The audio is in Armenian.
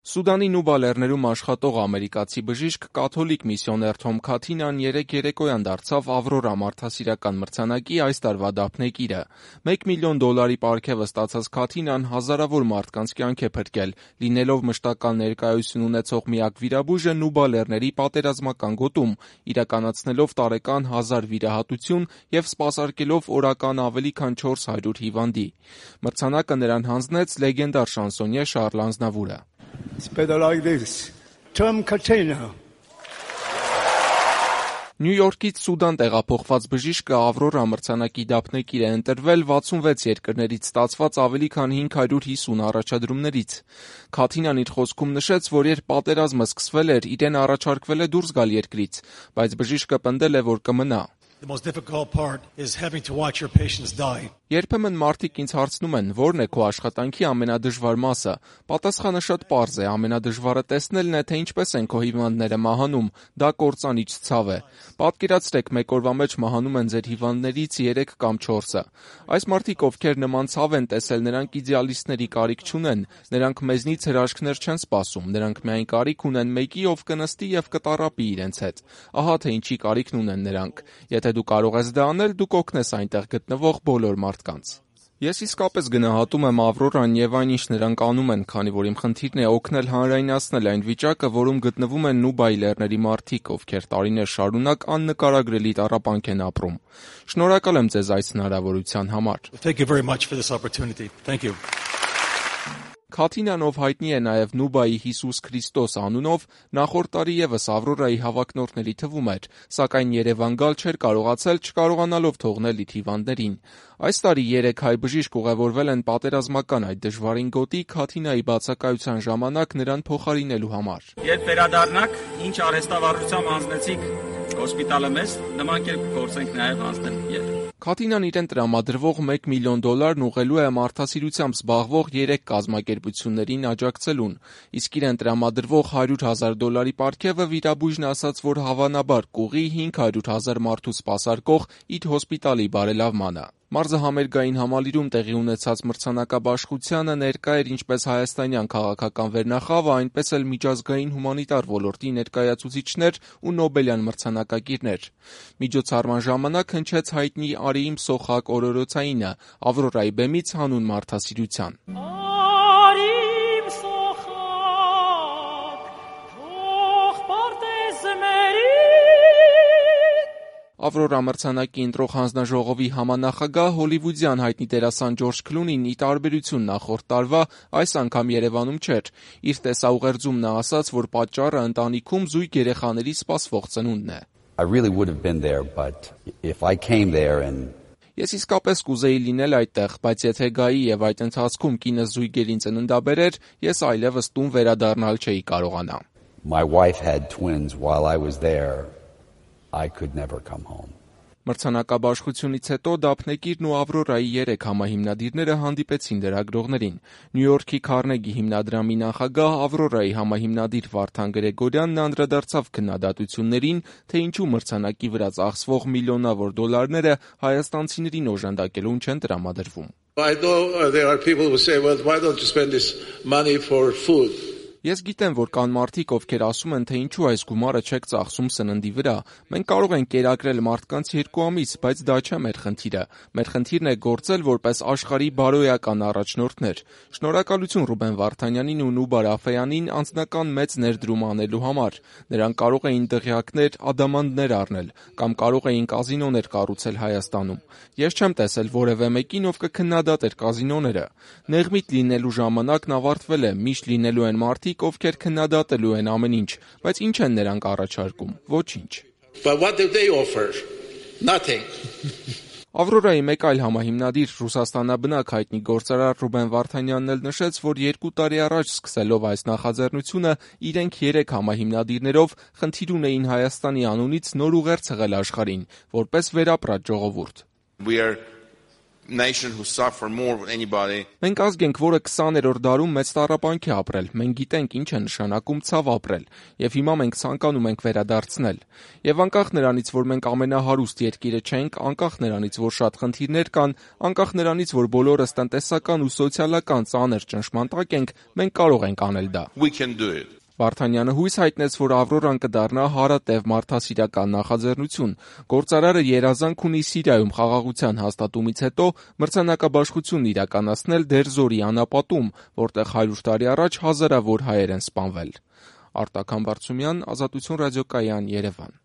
Սուդանի Նուբա լեռներում աշխատող ամերիկացի բժիշկ կաթոլիկ միսիոներ Թոմ Քաթինան երեկ երեկոյան դարձավ Ավրորա մարդասիրական մրցանակի այս տարվա դափնեկիրը։ $1 միլիոն պարգևը ստացած Քաթինան հազարավոր մարդկանց կյանք է փրկել, լինելով մշտական ներկայություն ունեցող միակ վիրաբույժը Նուբա լեռների պատերազմական գոտում, իրականացնելով տարեկան 1000 վիրահատություն և սպասարկելով օրական ավելի քան 400 հիվանդի։ Մրցանակը նրան հանձնեց լեգենդար շանսոնյե Շարլ Ազնավուրը։ It's better like this. Tom Katina. Նյու Յորքից Սուդան տեղափոխված բժիշկը Ավրորա մրցանակի դափնեկիր է ընտրվել 66 երկրներից ստացված ավելի քան 550 առաջադրումներից։ Քաթինան իր խոսքում նշեց, որ երբ պատերազմը սկսվել էր, իրեն առաջարկվել է դուրս գալ երկրից, բայց բժիշկը պնդել է, որ կմնա։ The most difficult part is having to watch your patients die. Երբեմն մարդիկ ինձ հարցնում են, որն է քո աշխատանքի ամենադժվար մասը։ Պատասխանը շատ պարզ է, ամենադժվարը տեսնելն է, թե ինչպես են քո հիվանդները մահանում, դա կործանիչ ցավ է։ Պատկերացրեք, մեկ օրվա մեջ մահանում են ձեր հիվանդներից 3 կամ 4-ը։ Այս մարդիկ, ովքեր նման ցավ են տեսել, նրանք իդեալիստների կարիք չունեն, նրանք մեզնից հրաշքներ չեն սպասում, նրանք միայն կարիք ունեն մեկի, ով կնստի և կտառապի իրենց հետ։ Ահա թե ինչի կարիքն ունեն նրանք։ Եթե դու կարող ես դա անել, դու կօգնես այնտեղ գտնվող բոլոր մարդկանց։ Ես իսկապես գնահատում եմ Ավրորան և այն, ինչ նրանք անում են, քանի որ իմ խնդիրն է օգնել հանրայնացնել այն վիճակը, որում գտնվում են Նուբայի լեռների մարդիկ, ովքեր տարիներ շարունակ աննկարագրելի տառապանք են ապրում։ Շնորհակալ եմ ձեզ այս հնարավորության համար։ Thank you very much for this opportunity. Thank you. Քաթինան, ով հայտնի է նաև Նուբայի Հիսուս Քրիստոս անունով, նախորդ տարի ևս Ավրորայի հավակնորդների թվում էր, սակայն Երևան գալ չէր կարողացել, չկարողանալով թողնել իր հիվանդներին։ Այս տարի 3 հայ բժիշկ ուղևորվել են պատերազմական այդ դժվարին գոտի Քաթինայի բացակայության ժամանակ նրան փոխարինելու համար։ Երբ վերադառնաք, ինչ արհեստավարժությամբ հանձնեցիք հոսպիտալը մեզ, նման կերպ գործենք նաև հանձնել երբ։ Քաթինան իրեն տրամադրվող $1 միլիոն ուղղելու է մարդասիրությամբ զբաղվող 3 կազմակերպություններին աջակցելուն, իսկ իրեն տրամադրվող $100,000 պարգևը վիրաբույժն ասաց, որ հավանաբար կուղղի 500,000 մարդու սպասարկող իր հոսպիտալի բարելավմանը։ Մարզահամերգային համալիրում տեղի ունեցած մրցանակաբաշխությանը ներկա էր ինչպես հայաստանյան քաղաքական վերնախավը, այնպես էլ միջազգային հումանիտար ոլորտի ներկայացուցիչներ ու Նոբելյան մրցանակակիրներ։ Միջոցառման ժամանակ հնչեց հայտնի Արիիմ Սոխակ օրորոցայինը Ավրորայի բեմից հանուն մարդասիրության։ Ավրորա մրցանակի ընտրող հանձնաժողովի համանախագահ հոլիվուդյան հայտնի դերասան Ջորջ Քլունին, ի տարբերություն նախորդ տարվա, այս անգամ Երևանում չէր։ Իր տեսաուղերձում նա ասաց, որ պատճառը ընտանիքում զույգ երեխաների սպասվող ծնունդն է։ I really would have been there, but if I came there and Ես իսկապես կուզեի լինել այդտեղ, բայց եթե գայի եւ այդ ընթացքում կինս զույգերին ծննդաբերեր, ես այլևս տուն վերադառնալ չէի կարողանա։ my wife had twins while I was there, I could never come home. Մրցանակաբաշխությունից հետո դափնեկիրն ու Ավրորայի 3 համահիմնադիրները հանդիպեցին լրագրողներին։ Նյու Յորքի Քարնեգի հիմնադրամի նախագահ Ավրորայի համահիմնադիր Վարդան Գրեգորյանն անդրադարձավ քննադատություններին, թե ինչու մրցանակի վրա ծախսվող միլիոնավոր դոլարները հայաստանցիներին օժանդակելուն չեն տրամադրվում։ I know there are people who say, well, why don't you spend this money for food? Ես գիտեմ, որ կան մարդիկ, ովքեր ասում են, թե ինչու այս գումարը չեք ծախսում սննդի վրա։ Մենք կարող ենք կերակրել մարդկանց 2 ամիս, բայց դա չէ մեր խնդիրը։ Մեր խնդիրն է գործել որպես աշխարհի բարոյական առաջնորդներ։ Շնորհակալություն Ռուբեն Վարդանյանին ու Նուբա Ռաֆեյանին անձնական մեծ ներդրում անելու համար։ Նրանք կարող էին դղյակներ, ադամանդներ առնել, կամ կարող էին կազինոներ կառուցել Հայաստանում։ Ես չեմ տեսել որևէ մեկին, ով կքննադատեր կազինոները։ Նեղմիտ լինելու ժամանակն ավարտվել է, միշտ լինելու են մարդիկ, ովքեր քննադատելու են ամեն ինչ, բայց ինչ են նրանք առաջարկում։ Ոչինչ։ But what do they offer? Nothing. Ավրորայի մեկ այլ համահիմնադիր Ռուսաստանաբնակ հայտնի գործարար Ռուբեն Վարդանյանն էլ նշեց, որ 2 տարի առաջ սկսելով այս նախաձեռնությունը իրենք 3 համահիմնադիրներով խնդիր ունեին Հայաստանի անունից նոր ուղերձ հղել աշխարհին, որպես վերապրած ժողովուրդ։ We are nation who suffer more than anybody. Մենք ազգ ենք, որը 20-րդ դարում մեծ տառապանք է ապրել, մենք գիտենք ինչ է նշանակում ցավ ապրել, եւ հիմա մենք ցանկանում ենք վերադարձնել։ Եվ անկախ նրանից, որ մենք ամենահարուստ երկիրը չենք, անկախ նրանից, որ շատ խնդիրներ կան, անկախ նրանից, որ բոլորս տնտեսական ու սոցիալական ծանր ճնշման տակ ենք, մենք կարող ենք անել դա։ We can do it. Վարդանյանը հույս հայտնեց, որ Ավրորան կդառնա հարատև մարդասիրական նախաձեռնություն։ Գործարարը երազանք ունի Սիրիայում խաղաղության հաստատումից հետո մրցանակաբաշխությունն իրականացնել Դեր-Զորի անապատում, որտեղ 100 տարի առաջ հազարավոր հայեր են սպանվել։ Արտակ Համբարձումյան, Ազատություն ռադիոկայան, Երևան։